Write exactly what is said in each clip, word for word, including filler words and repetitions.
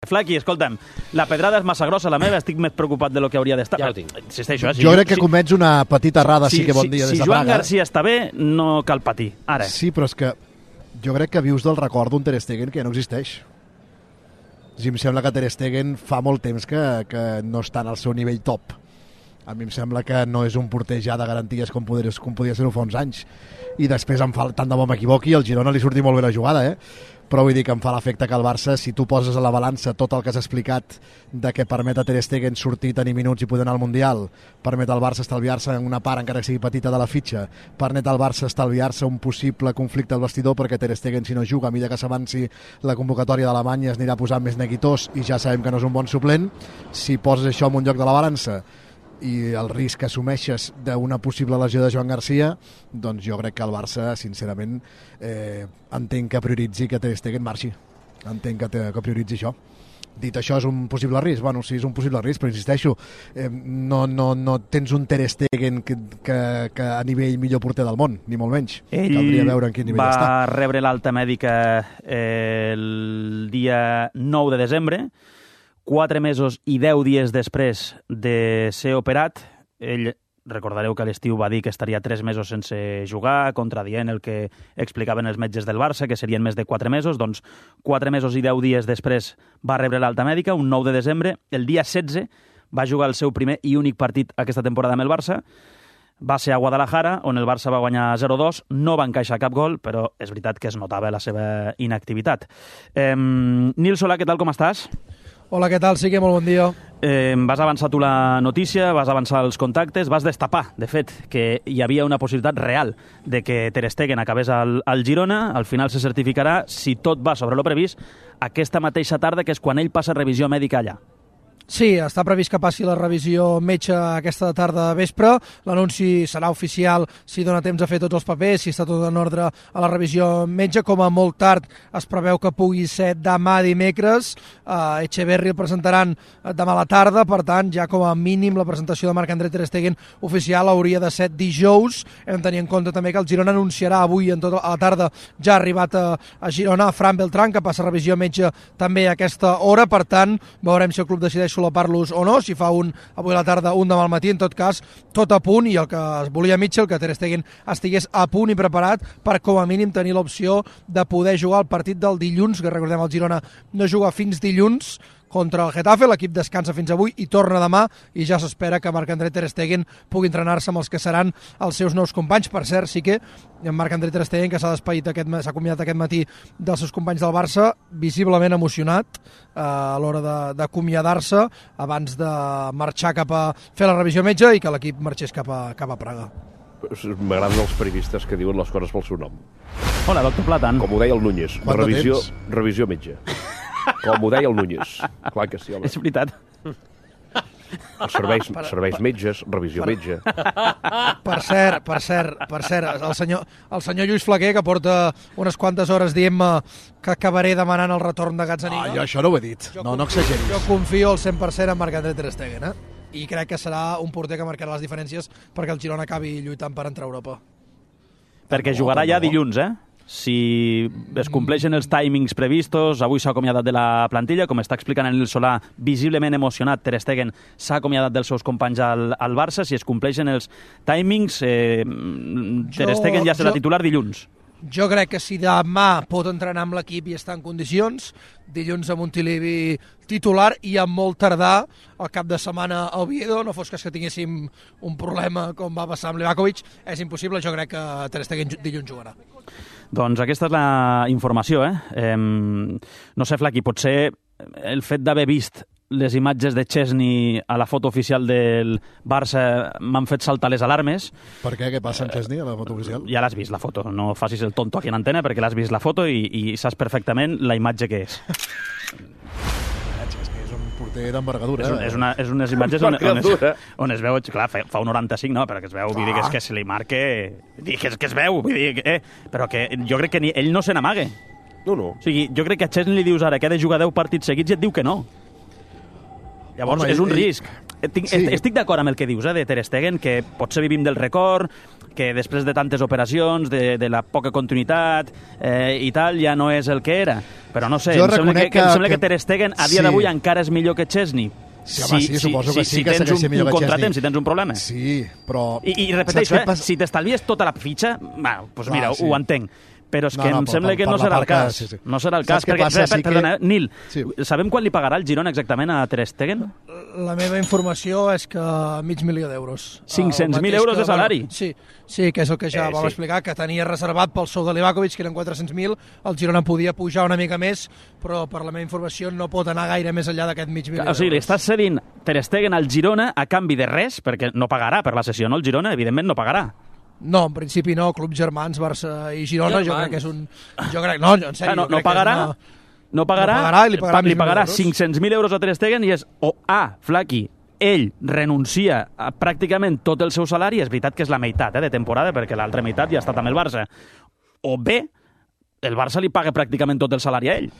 Flaqui, escolta'm, la pedrada és massa grossa, la meva, estic més preocupat de lo que hauria d'estar. Ja ho tinc. Insisteixo, eh? Si jo crec que si, comets una petita errada, si, sí que bon dia si, des de si Joan Praga. Garcia està bé, no cal patir. Ara. Sí, però és que jo crec que vius del record d'un Ter Stegen que ja no existeix. Sí, em sembla que Ter Stegen fa molt temps que, que no està en el seu nivell top. A mi em sembla que no és un porter ja de garanties com, poder, com podia ser-ho fa uns anys. I després em fa, tant de bo m'equivoqui, al Girona li surti molt bé la jugada, eh? Però vull dir que em fa l'efecte que el Barça, si tu poses a la balança tot el que has explicat de que permet a Ter Stegen sortir, tenir minuts i poder anar al Mundial, permet al Barça estalviar-se una part, encara que sigui petita, de la fitxa, permet al Barça estalviar-se un possible conflicte al vestidor, perquè Ter Stegen, si no juga, a mesura que s'avanci la convocatòria d'Alemanya, es anirà posant més neguitós i ja sabem que no és un bon suplent. Si poses això en un lloc de la balança i el risc que assumeixes d'una possible lesió de Joan Garcia, doncs jo crec que el Barça, sincerament, eh, entenc que prioritzi que Ter Stegen marxi. Entenc que, te, que prioritzi això. Dit això, és un possible risc? Bueno, sí, és un possible risc, però insisteixo, eh, no, no, no tens un Ter Stegen que, que, que a nivell millor porter del món, ni molt menys. Ell caldria veure en quin nivell va està. Va rebre l'alta mèdica eh, el dia nou de desembre, quatre mesos i deu dies després de ser operat. Ell, recordareu que a l'estiu va dir que estaria tres mesos sense jugar, contradient el que explicaven els metges del Barça, que serien més de quatre mesos. Doncs quatre mesos i deu dies després va rebre l'alta mèdica, un nou de desembre. El dia setze va jugar el seu primer i únic partit aquesta temporada amb el Barça. Va ser a Guadalajara, on el Barça va guanyar zero dos, no va encaixar cap gol, però és veritat que es notava la seva inactivitat. Eh, Nil Solà, què tal, com estàs? Hola, què tal? Sí que molt bon dia. Eh, vas avançar tu la notícia, vas avançar els contactes, vas destapar, de fet, que hi havia una possibilitat real de que Ter Stegen acabés al, al Girona. Al final se certificarà, si tot va sobre lo previst, aquesta mateixa tarda, que és quan ell passa revisió mèdica allà. Sí, està previst que passi la revisió metge aquesta tarda de vespre. L'anunci serà oficial si dona temps a fer tots els papers, si està tot en ordre a la revisió metge. Com a molt tard es preveu que pugui ser demà dimecres. Uh, Echeverri el presentaran demà a la tarda, per tant, ja com a mínim la presentació de Marc-André Ter Stegen oficial hauria de ser dijous. Hem de tenir en compte també que el Girona anunciarà avui en tota la tarda, ja ha arribat a, a Girona, a Fran Beltrán, que passa revisió metge també a aquesta hora. Per tant, veurem si el club decideix solapar-los o no, si fa un avui a la tarda, un demà al matí. En tot cas, tot a punt, i el que es volia Mitchell, que Ter Stegen estigués a punt i preparat per com a mínim tenir l'opció de poder jugar el partit del dilluns, que recordem el Girona no juga fins dilluns contra el Getafe. L'equip descansa fins avui i torna demà, i ja s'espera que Marc-André Ter Stegen pugui entrenar-se amb els que seran els seus nous companys. Per cert, sí que en Marc-André Ter Stegen, que s'ha despedit aquest, s'ha acomiadat aquest matí dels seus companys del Barça, visiblement emocionat eh, a l'hora d'acomiadar-se abans de marxar cap a fer la revisió metge i que l'equip marxés cap a, cap a Praga. M'agraden els periodistes que diuen les coses pel seu nom. Hola, doctor Platan. Com ho deia el Núñez, revisió, revisió metge. Com ho deia el Núñez. Clar que sí, home. És veritat. Els serveis, serveis metges, revisió per, metge. Per cert, per cert, per cert, el senyor, el senyor Lluís Flaquer, que porta unes quantes hores dient-me que acabaré demanant el retorn de Gazzaniga. Ah, jo això no ho he dit. Jo, no, no exageris. Jo confio al cent per cent en Marc-André Ter Stegen, eh? I crec que serà un porter que marcarà les diferències perquè el Girona acabi lluitant per entrar a Europa. Perquè jugarà ja dilluns, eh? Si es compleixen els timings previstos, avui s'ha acomiadat de la plantilla, com està explicant en el Solà, visiblement emocionat, Ter Stegen s'ha acomiadat dels seus companys al, al Barça. Si es compleixen els timings, eh, Ter Stegen ja serà jo, titular dilluns. Jo crec que si demà pot entrenar amb l'equip i està en condicions, dilluns a Montilivi titular, i amb molt tardar el cap de setmana a Oviedo, no fos cas que tinguéssim un problema com va passar amb Livakovic. És impossible, jo crec que Ter Stegen dilluns jugarà. Doncs aquesta és la informació, eh? eh no sé, Flaqui, potser el fet d'haver vist les imatges de Chesney a la foto oficial del Barça m'han fet saltar les alarmes. Per què? Què passa amb Chesney a la foto oficial? Ja l'has vist, la foto. No facis el tonto aquí en antena, perquè l'has vist la foto i, i saps perfectament la imatge que és. Chesney és un porter d'envergadura. És, un, és, una, és unes imatges on, on, es, on es veu, clar, fa un noranta-cinc, no, però que es veu, vull dir que, és que se li marque... Que es, que es veu, vull dir que... Eh, però que jo crec que ni, ell no se n'amague. No, no. O sigui, jo crec que a Chesney li dius ara que ha de jugar deu partits seguits i et diu que no. Llavors, Home, és un ell, risc. Estic, sí. estic d'acord amb el que dius, eh, de Ter Stegen, que potser vivim del record, que després de tantes operacions, de, de la poca continuïtat eh, i tal, ja no és el que era. Però no sé, em sembla que, que, em sembla que, que Ter Stegen a dia sí. d'avui encara és millor que Chesney. Sí, home, sí, sí, suposo que sí, si que tens un, un contratemps, si si tens un problema. Sí, però... I, i repeteixo, eh, pas... si t'estalvies tota la fitxa, bueno, pues mira, ah, sí. ho entenc. Però és que no, no, em sembla per, que no serà el cas. Que, sí, sí. No serà el cas. Perquè, passa, per, sí perdona, que... Nil, sí. sabem quan li pagarà el Girona exactament a Ter Stegen? La meva informació és que mig milió d'euros. cinc-cents mil euros de salari? Sí, sí, que és el que ja eh, vam sí. explicar, que tenia reservat pel sou de Livakovic, que eren quatre-cents mil, el Girona podia pujar una mica més, però per la meva informació no pot anar gaire més enllà d'aquest mig milió d'euros. O sigui, li estàs cedint Ter Stegen al Girona a canvi de res, perquè no pagarà per la sessió, no? El Girona, evidentment, no pagarà. No, en principi no, clubs germans, Barça i Girona, jo crec que és un... Jo crec, no, en sèrio, ah, no, no pagarà, una... no pagarà, no pagarà i li pagarà, li pagarà cinc-cents mil euros a Ter Stegen i és o A, Flaqui, ell renuncia a pràcticament tot el seu salari, és veritat que és la meitat eh, de temporada, perquè l'altra meitat ja ha estat amb el Barça, o B, el Barça li paga pràcticament tot el salari a ell.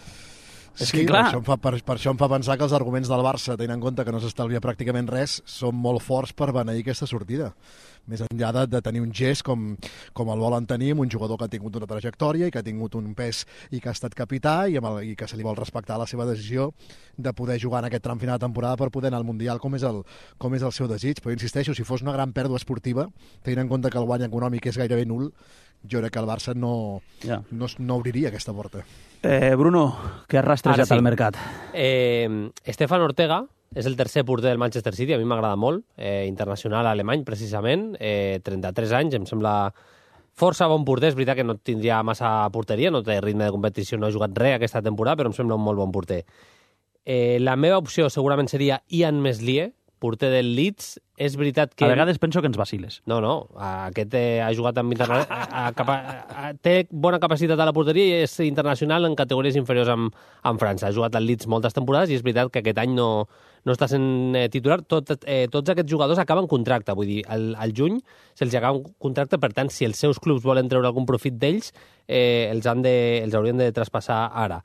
És sí, que, clar... per, això em fa, per, per això em fa pensar que els arguments del Barça, tenint en compte que no s'estalvia pràcticament res, són molt forts per beneir aquesta sortida. Més enllà de, de tenir un gest com, com el volen tenir, un jugador que ha tingut una trajectòria i que ha tingut un pes i que ha estat capità i, amb el, i que se li vol respectar la seva decisió de poder jugar en aquest tram final de temporada per poder anar al Mundial com és el, com és el seu desig. Però insisteixo, si fos una gran pèrdua esportiva, tenint en compte que el guany econòmic és gairebé nul, jo crec que el Barça no, yeah. no, no obriria aquesta porta. Eh, Bruno, què has rastrejat sí. al mercat? Eh, Stefan Ortega és el tercer porter del Manchester City, a mi m'agrada molt, eh, internacional alemany, precisament, eh, trenta-tres anys, em sembla força bon porter, és veritat que no tindria massa porteria, no té ritme de competició, no ha jugat res aquesta temporada, però em sembla un molt bon porter. Eh, la meva opció segurament seria Ian Meslier, porter del Leeds. És veritat que... A vegades penso que ens vaciles. No, no, aquest eh, ha jugat amb interna... a, a, a, té bona capacitat a la porteria i és internacional en categories inferiors amb, amb França. Ha jugat al Leeds moltes temporades i és veritat que aquest any no, no està sent eh, titular. Tot, eh, tots aquests jugadors acaben contracte, vull dir, al, al juny se'ls acaba un contracte, per tant, si els seus clubs volen treure algun profit d'ells, eh, els, han de, els haurien de traspassar ara.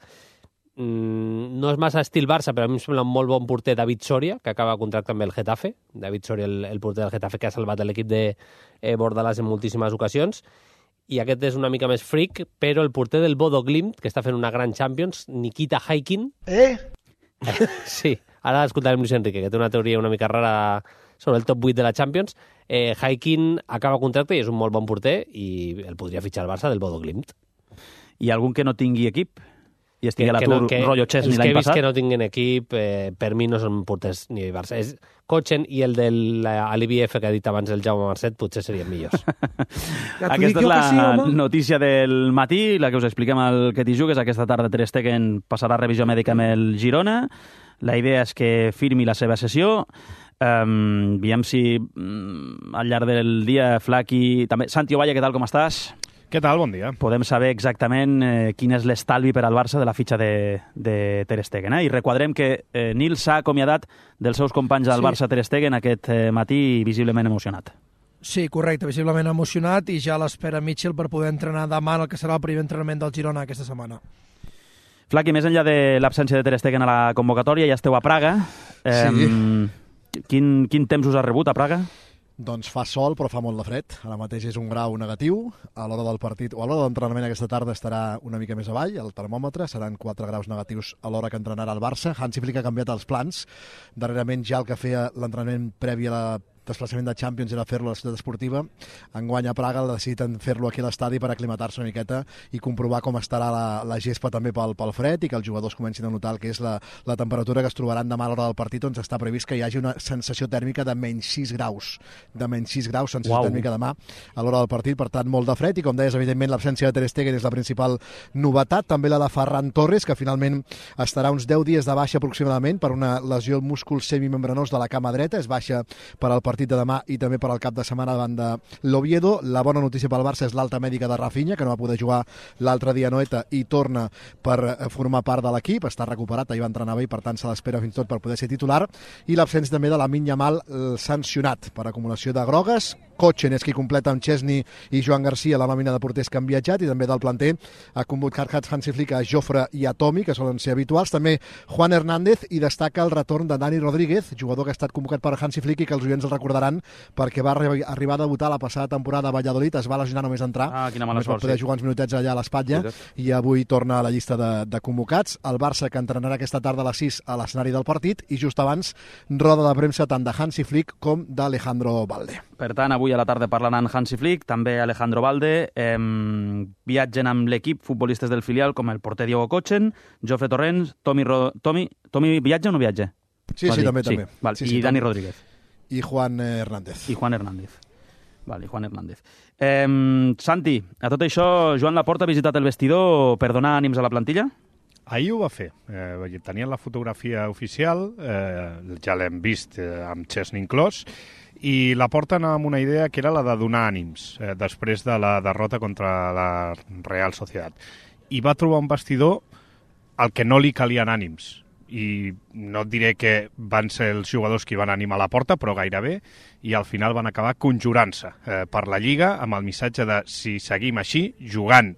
No és massa estil Barça, però a mi em sembla un molt bon porter David Soria, que acaba contracte amb el Getafe. David Soria, el, el porter del Getafe, que ha salvat l'equip de eh, Bordalàs en moltíssimes ocasions. I aquest és una mica més freak, però el porter del Bodo Glimt, que està fent una gran Champions, Nikita Haikin. Eh? Sí, ara escoltarem Luis Enrique, que té una teoria una mica rara sobre el top vuit de la Champions. Eh, Haikin acaba contracte i és un molt bon porter i el podria fitxar el Barça del Bodo Glimt. I algun que no tingui equip? I estigui a l'atur, no, rotllo Chesney l'any passat. Els que he vist que no tinguin equip, eh, per mi no són porters ni Barça. És Kochen i el de l'I B F que ha dit abans el Jaume Marcet potser serien millors. Ja aquesta és la sí, notícia del matí, la que us expliquem al que t'hi jugues. Aquesta tarda Ter Stegen passarà revisió mèdica amb el Girona. La idea és que firmi la seva sessió. Um, veiem si um, al llarg del dia Flaqui... També... Santi Ovalle, què tal, com estàs? Què tal? Bon dia. Podem saber exactament eh, quin és l'estalvi per al Barça de la fitxa de, de Ter Stegen. Eh? I recordem que eh, Nil s'ha acomiadat dels seus companys del sí. Barça Ter Stegen aquest eh, matí visiblement emocionat. Sí, correcte, visiblement emocionat i ja l'espera Mitchell per poder entrenar demà en el que serà el primer entrenament del Girona aquesta setmana. Flaqui, més enllà de l'absència de Ter Stegen a la convocatòria, ja esteu a Praga. Eh, sí. Quin, quin temps us ha rebut a Praga? Doncs fa sol, però fa molt de fred. Ara mateix és un grau negatiu. A l'hora del partit, o a l'hora de l'entrenament aquesta tarda estarà una mica més avall, el termòmetre. Seran quatre graus negatius a l'hora que entrenarà el Barça. Hansi Flick ha canviat els plans. Darrerament ja el que feia l'entrenament previ a la desplaçament de Champions era fer-lo a la ciutat esportiva. Enguany a Praga necessiten fer-lo aquí a l'estadi per aclimatar-se una miqueta i comprovar com estarà la, la gespa també pel, pel fred i que els jugadors comencin a notar el que és la, la temperatura que es trobaran demà a l'hora del partit, on està previst que hi hagi una sensació tèrmica de menys sis graus. De menys sis graus, sensació wow. tèrmica demà a l'hora del partit, per tant molt de fred i com deies, evidentment l'absència de Ter Stegen és la principal novetat, també la de Ferran Torres, que finalment estarà uns deu dies de baixa aproximadament per una lesió al múscul semimembranós de la cama dreta, és baixa per al partit de demà i també per al cap de setmana davant de l'Oviedo. La bona notícia pel Barça és l'alta mèdica de Rafinha, que no va poder jugar l'altre dia a Noeta i torna per formar part de l'equip, està recuperat, ahir va entrenar bé i per tant se l'espera fins tot per poder ser titular, i l'absència també de Lamine Yamal sancionat per acumulació de grogues, Okochen és qui completa amb Chesney i Joan Garcia la nòmina de porters que han viatjat, i també del planter ha convocat Hansi Flick a Jofre i a Tomi, que solen ser habituals, també Juan Hernández, i destaca el retorn de Dani Rodríguez, jugador que ha estat convocat per Hansi Flick i que els oients el recordaran perquè va arribar a debutar la passada temporada a Valladolid, es va lesionar només entrar, ah, quina mala només va poder jugar uns minutets allà a l'espatlla, i avui torna a la llista de, de convocats. El Barça, que entrenarà aquesta tarda a les sis a l'escenari del partit, i just abans roda de premsa tant de Hansi Flick com d'Alejandro Balde. Per tant, avui a la tarda parlaran Hansi Flick, també Alejandro Balde, eh, viatgen amb l'equip futbolistes del filial com el porter Diego Okochen, Jofre Torrents, Tomi, Ro... Tomi, Tomi viatja o no viatja? Sí, sí, també, també. Sí, val. Sí, I sí, Dani Tomi. Rodríguez. I Juan Hernández. I Juan Hernández. Vale, Juan Hernández. Eh, Santi, a tot això, Joan Laporta ha visitat el vestidor per donar ànims a la plantilla? Ahir ho va fer. Eh, tenien la fotografia oficial, eh, ja l'hem vist eh, amb Chesney inclòs, i la porten amb una idea que era la de donar ànims eh, després de la derrota contra la Real Sociedad. I va trobar un vestidor al que no li calien ànims. I no et diré que van ser els jugadors qui van animar la porta, però gairebé, i al final van acabar conjurant-se eh, per la Lliga amb el missatge de si seguim així, jugant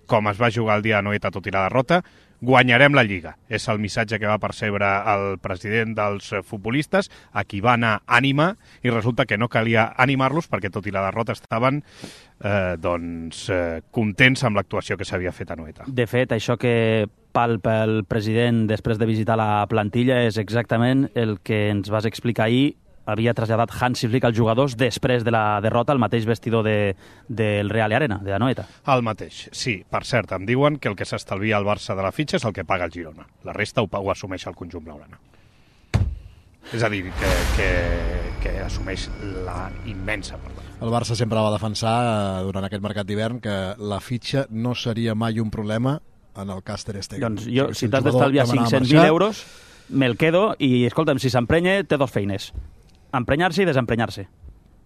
com es va jugar el dia de Noeta tot i la derrota, guanyarem la Lliga. És el missatge que va percebre el president dels futbolistes, a qui va anar ànima, i resulta que no calia animar-los perquè tot i la derrota estaven eh, doncs, eh, contents amb l'actuació que s'havia fet a Noeta. De fet, això que palpa el president després de visitar la plantilla és exactament el que ens vas explicar ahir. Havia traslladat Hansi Flick als jugadors després de la derrota al mateix vestidor de, del Real Arena, de la Noeta. El mateix, sí. Per cert, em diuen que el que s'estalvia al Barça de la fitxa és el que paga el Girona. La resta ho, ho assumeix el conjunt blaugrana. És a dir, que, que, que assumeix la immensa part. El Barça sempre va defensar eh, durant aquest mercat d'hivern que la fitxa no seria mai un problema en el cas Ter Stegen. Doncs jo, si si t'has d'estalviar cinc-cents mil euros, me'l quedo i, escolta'm, si s'emprenya, té dos feines. Emprenyar-se i desemprenyar-se.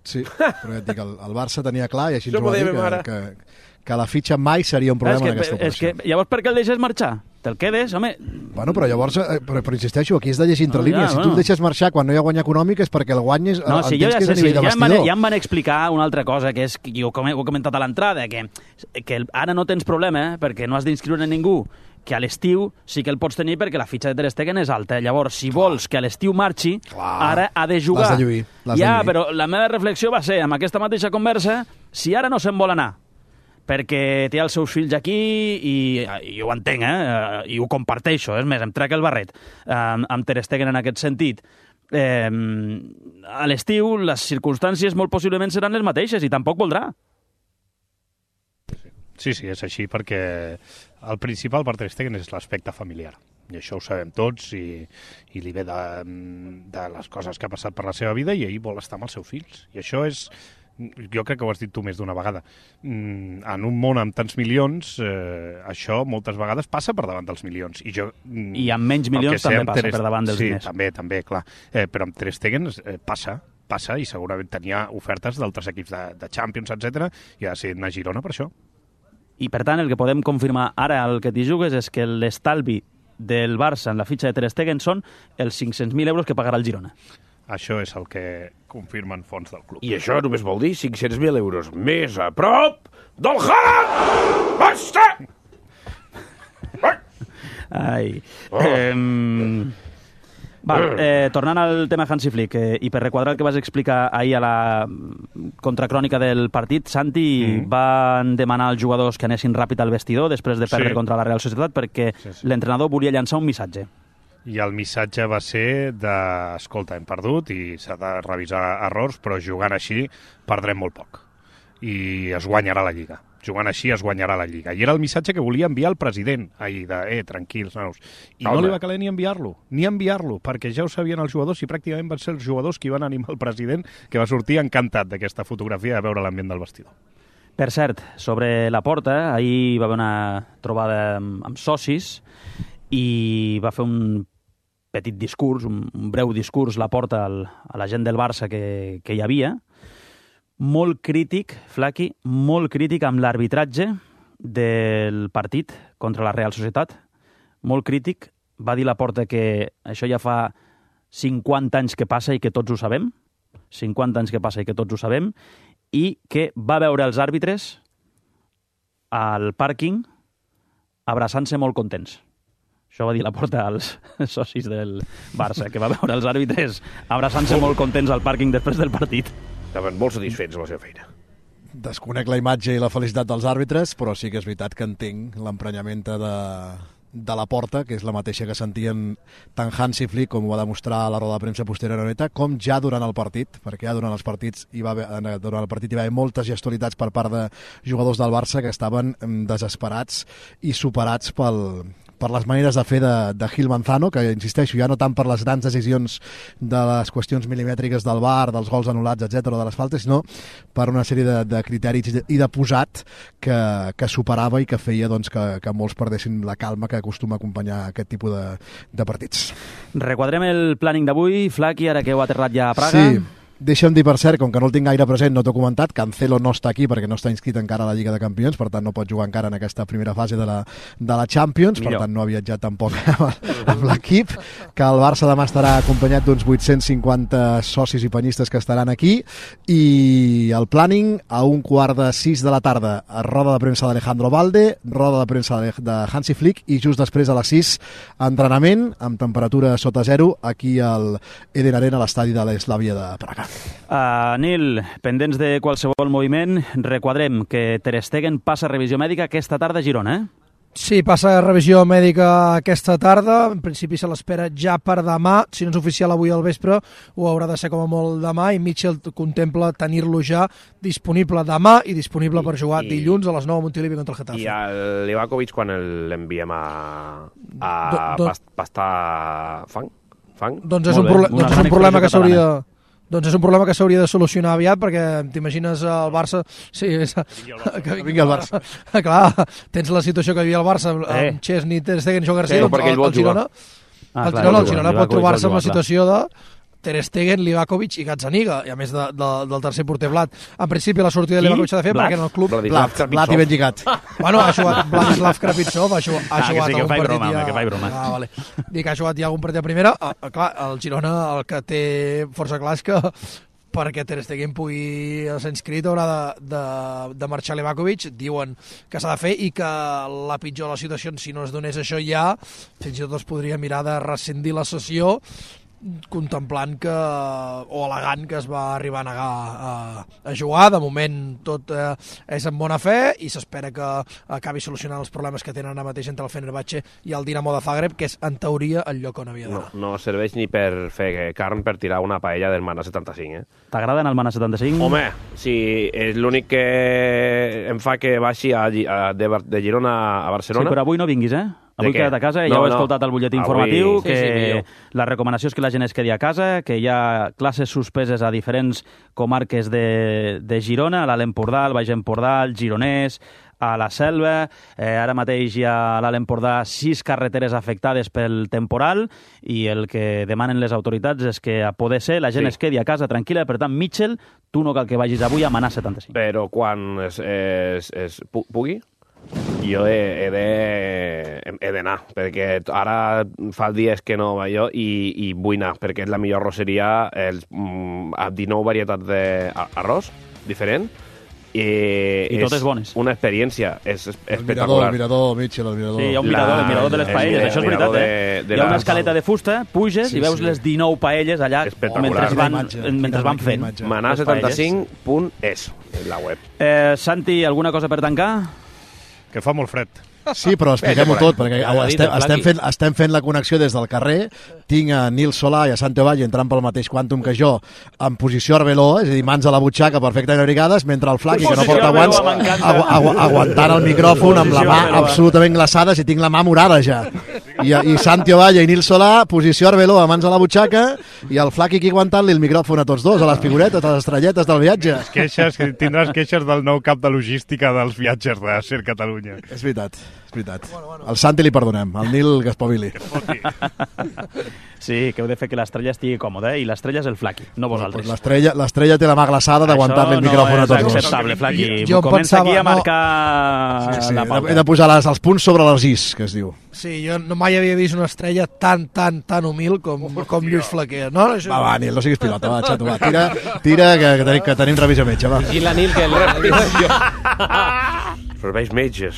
Sí, però ja et dic, el, el Barça tenia clar, i així ens Això ho va dir, m'ho deia que, que, que la fitxa mai seria un problema és en aquesta que, és operació. que llavors per què el deixes marxar? Te'l quedes, home? Bueno, però llavors, eh, però, però insisteixo, aquí és de llegir entre No, línies. ja, Si bueno. tu el deixes marxar quan no hi ha guany econòmic és perquè el guany és, No, si jo entens ja que és sé, a sí, nivell de ja, em van, vestidor. ja em van explicar una altra cosa, que és, que jo com he, ho he comentat a l'entrada, que, que el, ara no tens problema, eh, perquè no has d'inscriure ningú, que a l'estiu sí que el pots tenir perquè la fitxa de Ter Stegen és alta. Llavors, si vols que a l'estiu marxi, Clar. ara ha de jugar. L'has de lluir, l'has de Ja, lluir. però la meva reflexió va ser, amb aquesta mateixa conversa, si ara no se'n vol anar, perquè té els seus fills aquí i, i jo ho entenc, eh? I ho comparteixo, és més, em trec el barret eh, amb Ter Stegen en aquest sentit. Eh, a l'estiu les circumstàncies molt possiblement seran les mateixes i tampoc voldrà. Sí, sí, és així, perquè el principal per Ter Stegen és l'aspecte familiar. I això ho sabem tots, i, i li ve de, de les coses que ha passat per la seva vida, i ell vol estar amb els seus fills. I això és... Jo crec que ho has dit tu més d'una vegada. En un món amb tants milions, eh, això moltes vegades passa per davant dels milions. I, jo, I amb menys milions també passa per davant dels sí, diners. Sí, també, també, clar. Eh, però amb Ter Stegen eh, passa, passa, i segurament tenia ofertes d'altres equips de, de Champions, etcètera, i ha decidit anar a Girona per això. I, per tant, el que podem confirmar ara el que t'hi jugues és que l'estalvi del Barça en la fitxa de Ter Stegen són els cinc-cents mil euros que pagarà el Girona. Això és el que confirmen fons del club. I això només vol dir cinc-cents mil euros més a prop del Haaland! Basta! Ai. Oh. Eh, val, eh, tornant al tema Hansi Flick, eh, i per requadrar el que vas explicar ahir a la contracrònica del partit, Santi, mm. van demanar als jugadors que anessin ràpid al vestidor després de perdre Sí. contra la Real Societat perquè Sí, sí. l'entrenador volia llançar un missatge. I el missatge va ser de, escolta, hem perdut i s'ha de revisar errors, però jugant així perdrem molt poc. I es guanyarà la Lliga. Jugant així es guanyarà la Lliga. I era el missatge que volia enviar el president ahir, de, eh, tranquils, nanos. I Calma. no li va caler ni enviar-lo, ni enviar-lo, perquè ja ho sabien els jugadors i pràcticament van ser els jugadors qui van animar el president, que va sortir encantat d'aquesta fotografia de veure l'ambient del vestidor. Per cert, sobre la porta, ahir va haver una trobada amb, amb socis i va fer un petit discurs, un, un breu discurs, la porta al, a la gent del Barça que, que hi havia, molt crític, Flaqui, molt crític amb l'arbitratge del partit contra la Real Societat, molt crític, va dir la porta que això ja fa cinquanta anys que passa i que tots ho sabem, cinquanta anys que passa i que tots ho sabem, i que va veure els àrbitres al pàrquing abraçant-se molt contents. Això va dir Laporta als socis del Barça, que va veure els àrbitres abraçant-se molt contents al pàrquing després del partit. Estaven molt satisfets amb la seva feina. Desconec la imatge i la felicitat dels àrbitres, però sí que és veritat que entenc l'emprenyament de, de Laporta, que és la mateixa que sentien tant Hansi Flick, com ho va demostrar a la roda de premsa posteriorment, com ja durant el partit, perquè ja durant els partits hi va haver, durant el partit hi va haver moltes gestualitats per part de jugadors del Barça que estaven desesperats i superats pel, per les maneres de fer de, de Gil Manzano, que, insisteixo, ja no tant per les grans decisions de les qüestions milimètriques del V A R, dels gols anul·lats, etcètera, de les faltes, sinó per una sèrie de, de criteris i de posat que, que superava i que feia doncs, que, que molts perdessin la calma que acostuma a acompanyar aquest tipus de, de partits. Requadrem el planning d'avui, Flaqui, ara que heu aterrat ja a Praga. Sí. Deixa'm dir, per cert, com que no el tinc gaire present, no t'ho he comentat, Cancelo no està aquí perquè no està inscrit encara a la Lliga de Campions, per tant no pot jugar encara en aquesta primera fase de la, de la Champions, Millor. Per tant no ha viatjat tampoc amb l'equip, que el Barça demà estarà acompanyat d'uns vuit-cents cinquanta socis i penyistes que estaran aquí, i el planning a un quart de sis de la tarda, a roda de premsa d'Alejandro Valde, roda de premsa de Hansi Flick, i just després a les sis, entrenament amb temperatura sota zero aquí al Eden Arena, a l'estadi de l'Eslavia de Praga. Uh, Nil, pendents de qualsevol moviment, requadrem que Ter Stegen passa revisió mèdica aquesta tarda a Girona, eh? Sí, passa revisió mèdica aquesta tarda, en principi se l'espera ja per demà, si no és oficial avui al vespre, ho haurà de ser com a molt demà, i Mitchell contempla tenir-lo ja disponible demà i disponible I, per jugar i, dilluns a les nou a Montilivi contra el Getafe. I el Livakovic quan l'enviem a, a do, do, pastar fang? fang? Doncs és un, proble doncs és un problema que s'hauria de... Doncs és un problema que s'hauria de solucionar aviat, perquè t'imagines el Barça... Sí, és... que vingui el Barça. Clar, tens la situació que hi havia el Barça, eh. amb Chesney, Ter Stegen, Joao García, sí, doncs el, el Girona, ah, el, Girona, el Girona pot trobar-se en la situació de Ter Stegen, Livakovic i Gazzaniga, i a més de, de, del tercer porter Blat. En principi la sortida de Livakovic s'ha de fer, perquè en el club... Blat, Blat i ben lligat. Bueno, ha jugat Vladislav Krapitsov, ha jugat, ha ah, jugat que sí, que algun partit broma, ja... que faig broma. Ah, vale. Dic que ha jugat ja algun partit a primera. Ah, clar, el Girona el que té força clar és que perquè Ter Stegen pugui ser inscrit haurà de, de, de marxar Livakovic, diuen que s'ha de fer, i que la pitjor de les situacions, si no es donés això ja, fins i tot es podria mirar de rescindir la sessió, contemplant que, o al·legant que es va arribar a negar a, a jugar. De moment tot eh, és en bona fe i s'espera que acabi solucionant els problemes que tenen ara mateix entre el Fenerbahçe i el Dinamo de Zagreb, que és en teoria el lloc on havia d'anar. No, no serveix ni per fer carn per tirar una paella del Mana setanta-cinc, eh? T'agrada el Mana setanta-cinc? Home, sí, és l'únic que em fa que baixi a, a, de, de Girona a Barcelona. Sí, però avui no vinguis, eh? Avui queda't a casa, ja no, heu no. escoltat el butlletí avui... informatiu, sí, que sí, la recomanació és que la gent es quedi a casa, que hi ha classes suspeses a diferents comarques de, de Girona, a l'Alt Empordà, al Baix Empordà, al Gironès, a la Selva. Eh, ara mateix hi ha a l'Alt Empordà sis carreteres afectades pel temporal, i el que demanen les autoritats és que, a poder ser, la gent sí. es quedi a casa tranquil·la. Per tant, Mitchell, tu no cal que vagis avui a Manà setanta-cinc. Però quan es, es, es pugui, jo he, he de he d'anar, perquè ara fa dies que no vaig jo i, i vull anar, perquè és la millor arrosseria, els, mm, amb dinou varietats d'arròs diferent, i, I totes bones. Una experiència, és espectacular. El mirador, el mirador, Mitchell, el mirador. Sí, hi ha un mirador, el mirador de les paelles, això és veritat, eh? De, de hi ha una escaleta de fusta, puges sí, i veus sí. les dinou paelles allà mentre van, mentre van fent. Manà setanta-cinc punt es, la web. Eh, Santi, alguna cosa per tancar? Que fa molt fred. Sí, però expliquem-ho tot, perquè estem, estem, fent, estem fent la connexió des del carrer. Tinc a Nil Solà i a Santi Valle entrant pel mateix quàntum que jo, en posició arbeló, és a dir, mans a la butxaca perfectament abrigades, mentre el Flaqui, que no porta guants, agu agu aguantant el micròfon amb la mà absolutament glaçada, si tinc la mà morada ja. I, i Santi Valle i Nil Solà, posició arbeló, a mans a la butxaca, i el Flaqui aquí aguantant-li el micròfon a tots dos, a les figuretes, a les estrelletes del viatge. Queixes, que tindràs queixes del nou cap de logística dels viatges de Ser Catalunya. És veritat. És veritat. Bueno, bueno. Al Santi li perdonem, al Nil que espavili. Sí, que heu de fer que l'estrella estigui còmoda, eh? I l'estrella és el Flaqui, no vosaltres. L'estrella l'estrella té la mà glaçada d'aguantar-li el micròfon a tots dos. Això no és acceptable, Flaqui. Jo Comença pensava, aquí a no. marcar Sí, sí, la he de, pauta. he de posar les, els punts sobre les is, que es diu. Sí, jo no mai havia vist una estrella tan, tan, tan humil com, com Lluís Flaquer. No? Això... Va, va, Nil, no siguis pilota, va, xato, va. Tira, tira que, que, tenim, que tenim revisió metge, va. I la Nil, que... Serveis metges.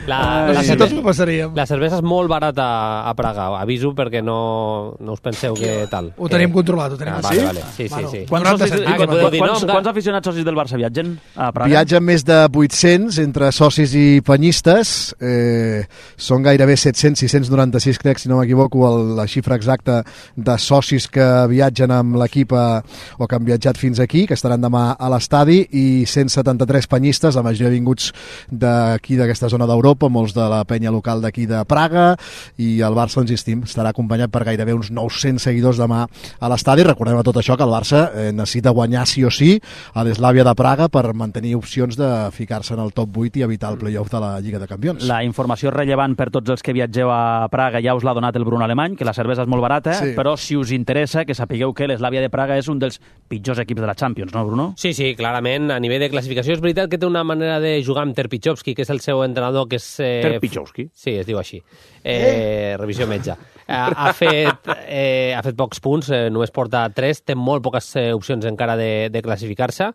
La, No la, sé si tots ho passaríem. la cervesa és molt barata a Praga, aviso perquè no, no us penseu que tal. Ho tenim controlat, ho tenim Ah, controlat. vale, vale. Sí, sí, Bueno, sí. Quants, noranta socis, cèntims, Ah, que podeu dir, quants, no? quants aficionats socis del Barça viatgen a Praga? Viatgen més de vuit-cents entre socis i penyistes. Eh, són gairebé set-cents, sis cents noranta-sis, crec, si no m'equivoco, el- la xifra exacta de socis que viatgen amb l'equip a- o que han viatjat fins aquí, que estaran demà a l'estadi, i cent setanta-tres penyistes, la majoria vinguts d'aquí d'aquesta zona d'Europa, molts de la penya local d'aquí de Praga, i el Barça, insistim, estarà acompanyat per gairebé uns nou-cents seguidors demà a l'estadi. Recordem a tot això que el Barça eh, necessita guanyar sí o sí a l'Eslàvia de Praga per mantenir opcions de ficar-se en el top vuit i evitar el play-off de la Lliga de Campions. La informació rellevant per tots els que viatgeu a Praga ja us l'ha donat el Bruno Alemany, que la cervesa és molt barata, Sí. però si us interessa, que sapigueu que l'Eslàvia de Praga és un dels pitjors equips de la Champions, no, Bruno? Sí, sí, clarament, a nivell de classificació és veritat que té una manera de jugar amb Terpichowski, que és el seu entrenador, que és... Eh, Terpichowski? Sí, es diu així. Eh, revisió metge. Eh, ha, fet, eh, ha fet pocs punts, eh, només porta tres, té molt poques eh, opcions encara de, de classificar-se,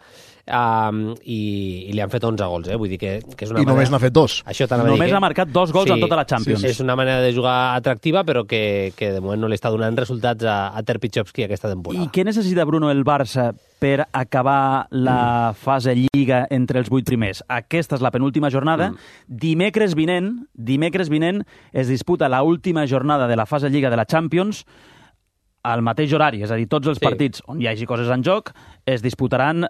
um, i, i li han fet onze gols, eh? Vull dir que, que és una I només n'ha manera... fet dos. Això t'anava a dir Només que- ha marcat dos gols en tota la Champions. Sí, sí. És una manera de jugar atractiva, però que, que de moment no li està donant resultats a, a Terpichowski aquesta temporada. I què necessita, Bruno, el Barça per acabar la Mm. fase Lliga entre els vuit primers? Aquesta és la penúltima jornada. Mm. Dimecres vinent, dimecres vinent es disputa la última jornada de la fase Lliga de la Champions al mateix horari, és a dir, tots els Sí. partits on hi hagi coses en joc es disputaran eh,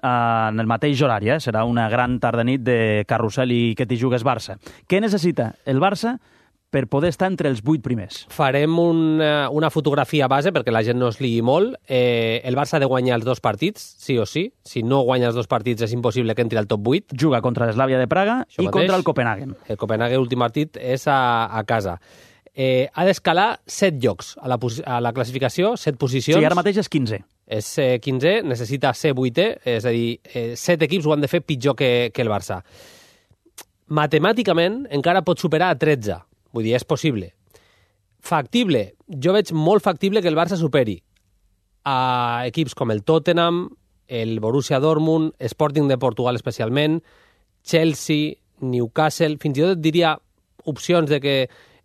en el mateix horari. Eh? Serà una gran tarda-nit de carrusel i que t'hi jugues Barça. Què necessita el Barça per poder estar entre els vuit primers? Farem una, una fotografia base perquè la gent no es liï molt. Eh, el Barça ha de guanyar els dos partits, sí o sí. Si no guanya els dos partits és impossible que entri al top vuit. Juga contra l'Eslàvia de Praga Això i mateix. contra el Copenhagen. El Copenhague, l'últim partit, és a, a casa. Eh, ha d'escalar set llocs a la, a la classificació, set posicions. Sí, ara mateix és quinze. És eh, quinzè, necessita ser vuitè, és a dir, eh, set equips ho han de fer pitjor que, que el Barça. Matemàticament encara pot superar a tretze. Vull dir, és possible. Factible. Jo veig molt factible que el Barça superi a equips com el Tottenham, el Borussia Dortmund, Sporting de Portugal especialment, Chelsea, Newcastle, fins i tot et diria opcions de que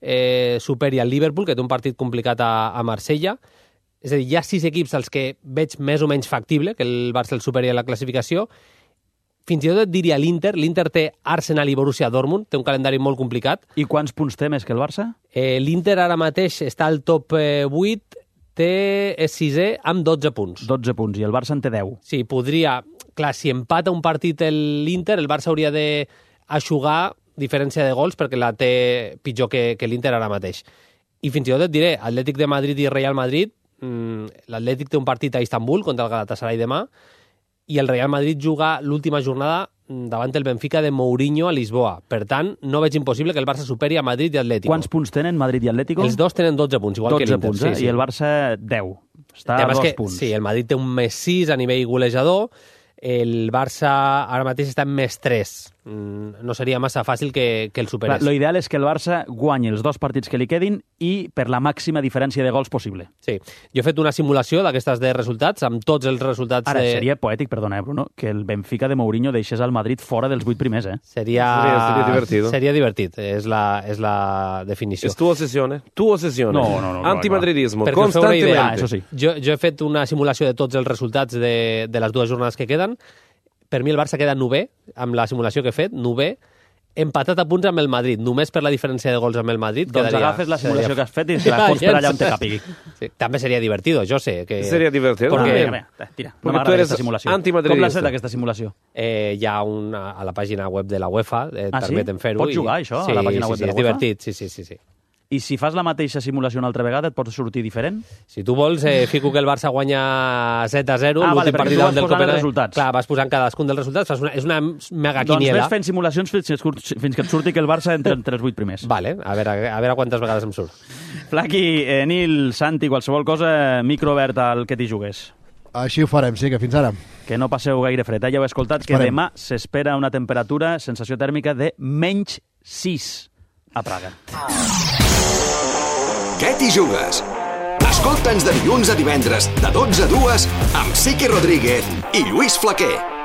eh, superi el Liverpool, que té un partit complicat a, a Marsella. És a dir, hi ha sis equips als que veig més o menys factible que el Barça el superi a la classificació. Fins i tot et diria l'Inter. L'Inter té Arsenal i Borussia Dortmund, té un calendari molt complicat. I quants punts té més que el Barça? Eh, L'Inter ara mateix està al top eh, vuit, té, és sisè amb dotze punts. dotze punts, i el Barça en té deu. Sí, podria... Clar, si empata un partit l'Inter, el Barça hauria d'aixugar diferència de gols perquè la té pitjor que, que l'Inter ara mateix. I fins i tot et diré, Atlètic de Madrid i Real Madrid, mmm, l'Atlètic té un partit a Istanbul contra el Galatasaray demà, i el Real Madrid juga l'última jornada davant el Benfica de Mourinho a Lisboa. Per tant, no veig impossible que el Barça superi a Madrid i Atlético. Quants punts tenen Madrid i Atlético? Els dos tenen dotze punts, igual que dotze l'Inter. punts, eh? Sí, sí. I el Barça deu. Està a Además dos que, punts. Sí, el Madrid té un més sis a nivell golejador, el Barça ara mateix està en més tres. Mm, no seria massa fàcil que, que el superés. Lo ideal és que el Barça guanyi els dos partits que li quedin i per la màxima diferència de gols possible. Sí. Jo he fet una simulació d'aquestes de resultats, amb tots els resultats... Ara, de... seria poètic, perdona, eh, Bruno, que el Benfica de Mourinho deixés al Madrid fora dels vuit primers, eh? Seria... Seria- seria divertido. Seria divertit, és la, és la definició. Es tu obsesión, ¿eh? Tu obsesión. No, no, no, no, Antimadridismo, Perquè us feu una idea, constantemente. Ah, eso sí. Jo, jo he fet una simulació de tots els resultats de, de les dues jornades que queden. Per mi el Barça queda novè, amb la simulació que he fet, novè, empatat a punts amb el Madrid, només per la diferència de gols amb el Madrid. Doncs quedaria, agafes la simulació quedaria- que has fet i te la fots per allà on te capigui. Sí, també seria divertido, jo sé. Que... Sería divertido. Porque- Perquè, también. mira, tira, no Porque tú m'agrada eres aquesta simulació. antimadridista. Com l'has fet, aquesta simulació? Eh, hi ha una, a la pàgina web de la UEFA, eh, Ah, sí? permeten fer-ho. Pots jugar, això, a la pàgina sí, web sí, de la és UEFA? divertit, sí, sí, sí. sí. I si fas la mateixa simulació una altra vegada, et pots sortir diferent? Si tu vols, eh, fico que el Barça guanya set a zero, Ah, vale, l'últim perquè partit tu vas del posant els Copenhagen. resultats. Clar, vas posant cadascun dels resultats, fas una, és una mega Doncs quiniela. ves fent simulacions fins que, et surt- fins que et surti que el Barça entre, entre els vuit primers. Vale, a veure, a veure quantes vegades em surt. Flaqui, eh, Nil, Santi, qualsevol cosa, micro obert al que t'hi jugués. Així ho farem, sí, que fins ara. Que no passeu gaire fred. Eh? Ja heu escoltat que Esperem. demà s'espera una temperatura, sensació tèrmica de menys sis a Praga. Què t'hi jugues? Escolta'ns de dilluns a divendres, de dotze a dues, amb Siqui Rodríguez i Lluís Flaquer.